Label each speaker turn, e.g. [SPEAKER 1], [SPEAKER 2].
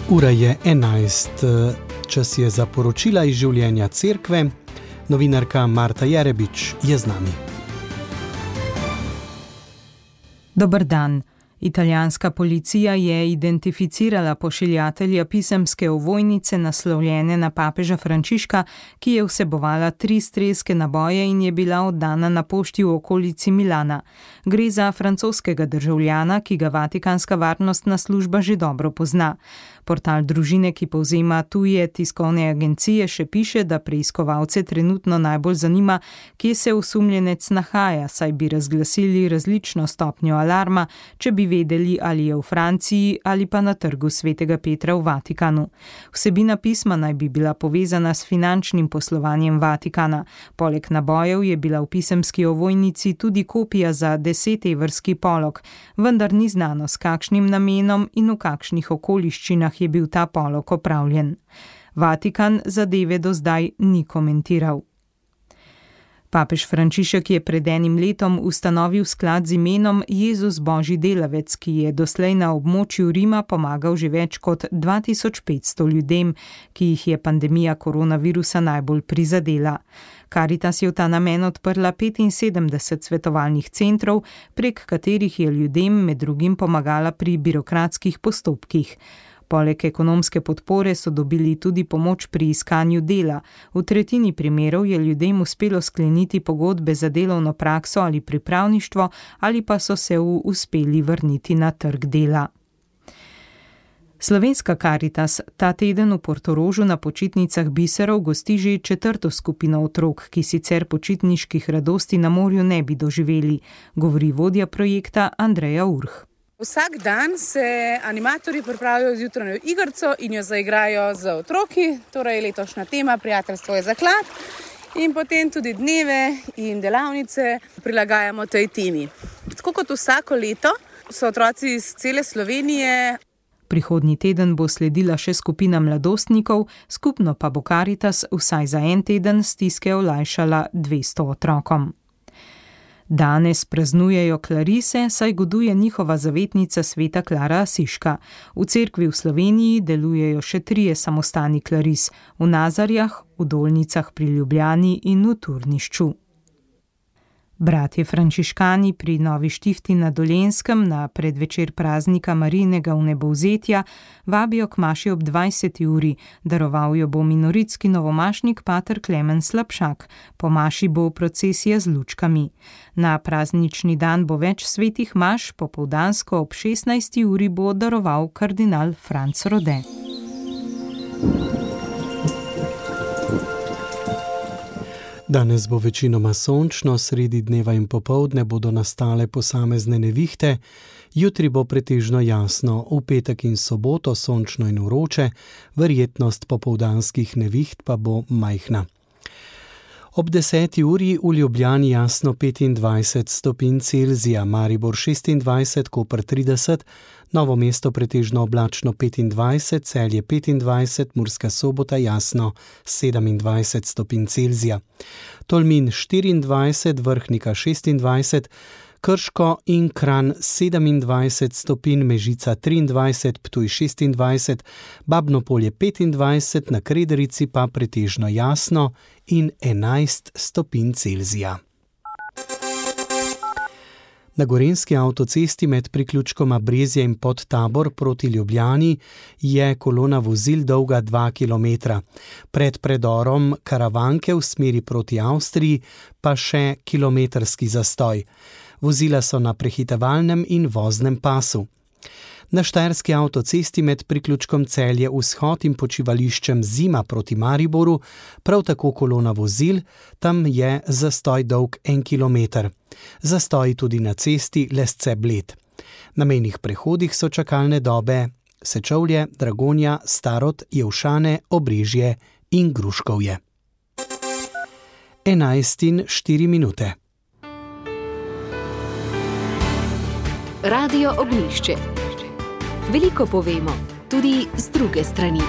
[SPEAKER 1] Ura je 11, čas je za poročila iz življenja cerkve. Novinarka Marta Jerebič je z nami.
[SPEAKER 2] Dober dan. Italijanska policija je identificirala pošiljatelja pisemske ovojnice naslovljene na papeža Frančiška, ki je vsebovala 3 strelske naboje in je bila oddana na pošti v okolici Milana. Gre za francoskega državljana, ki ga Vatikanska varnostna služba že dobro pozna. Portal družine, ki povzema tuje tiskovne agencije, še piše, da preiskovalce trenutno najbolj zanima, kje se osumljenec nahaja, saj bi razglasili različno stopnjo alarma, če bi vedeli, ali je v Franciji ali pa na trgu Svetega Petra v Vatikanu. Vsebina pisma naj bi bila povezana s finančnim poslovanjem Vatikana. Poleg nabojev je bila v pisemski ovojnici tudi kopija za 10 evrski polog, vendar ni znano, s kakšnim namenom in v kakšnih okoliščinah je bil ta polog opravljen. Vatikan zadeve do zdaj ni komentiral. Papež Frančišek je pred enim letom ustanovil sklad z imenom Jezus Božji delavec, ki je doslej na območju Rima pomagal že več kot 2500 ljudem, ki jih je pandemija koronavirusa najbolj prizadela. Caritas je v ta namen odprla 75 svetovalnih centrov, prek katerih je ljudem med drugim pomagala pri birokratskih postopkih. Poleg ekonomske podpore so dobili tudi pomoč pri iskanju dela. V tretjini primerov je ljudem uspelo skleniti pogodbe za delovno prakso ali pripravništvo, ali pa so se uspeli vrniti na trg dela. Slovenska Caritas ta teden v Portorožu na počitnicah biserov gosti že 4. skupino otrok, ki sicer počitniških radosti na morju ne bi doživeli, govori vodja projekta Andreja Urh.
[SPEAKER 3] Vsak dan se animatorji pripravijo z jutranjo igrico in jo zaigrajo z otroki, torej letošnja tema Prijateljstvo je zaklad, in potem tudi dneve in delavnice prilagajamo tej temi. Tako kot vsako leto so otroci iz cele Slovenije.
[SPEAKER 2] Prihodnji teden bo sledila še skupina mladostnikov, skupno pa bo Caritas vsaj za en teden stiske olajšala 200 otrokom. Danes praznujejo klarise, saj goduje njihova zavetnica sveta Klara Asiška. V cerkvi v Sloveniji delujejo še 3 samostani klaris, v Nazarjah, v Dolnicah pri Ljubljani in v Turnišču. Bratje frančiškani pri Novi Štifti na Dolenjskem na predvečer praznika Marijinega vnebovzetja vabijo k maši ob 20. uri. Daroval jo bo minoritski novomašnik pater Klemen Slapšak. Po maši bo procesija z lučkami. Na praznični dan bo več svetih maš, popoldansko ob 16. uri bo daroval kardinal Franc Rode.
[SPEAKER 1] Danes bo večinoma sončno, sredi dneva in popoldne bodo nastale posamezne nevihte, jutri bo pretežno jasno, v petek in soboto sončno in vroče, verjetnost popoldanskih neviht pa bo majhna. Ob 10. uri v Ljubljani jasno 25 stopinj Celzija, Maribor 26, Koper 30, Novo mesto pretežno oblačno 25, Celje 25, Murska Sobota jasno 27 stopinj Celzija. Tolmin 24, Vrhnika 26, Krško in Kranj 27 stopinj, Mežica 23, Ptuj 26, Babno Polje 25, na Krederici pa pretežno jasno in 11 stopinj Celzija. Na Gorenjski avtocesti med priključkoma Brezje in Podtabor proti Ljubljani je kolona vozil dolga 2 km. Pred predorom Karavanke v smeri proti Avstriji pa še kilometrski zastoj. Vozila so na prehitevalnem in voznem pasu. Na Štajerski avtocesti med priključkom Celje Vzhod in počivališčem Zima proti Mariboru prav tako kolona vozil, tam je zastoj dolg 1 km. Zastoj tudi na cesti Lesce-Bled. Na mejnih prehodih so čakalne dobe Sečovlje, Dragonja, Starod, Jevšane, Obrežje in Gruškovje. 11:04.
[SPEAKER 4] Radio Ognjišče. Veliko povemo, tudi z druge strani.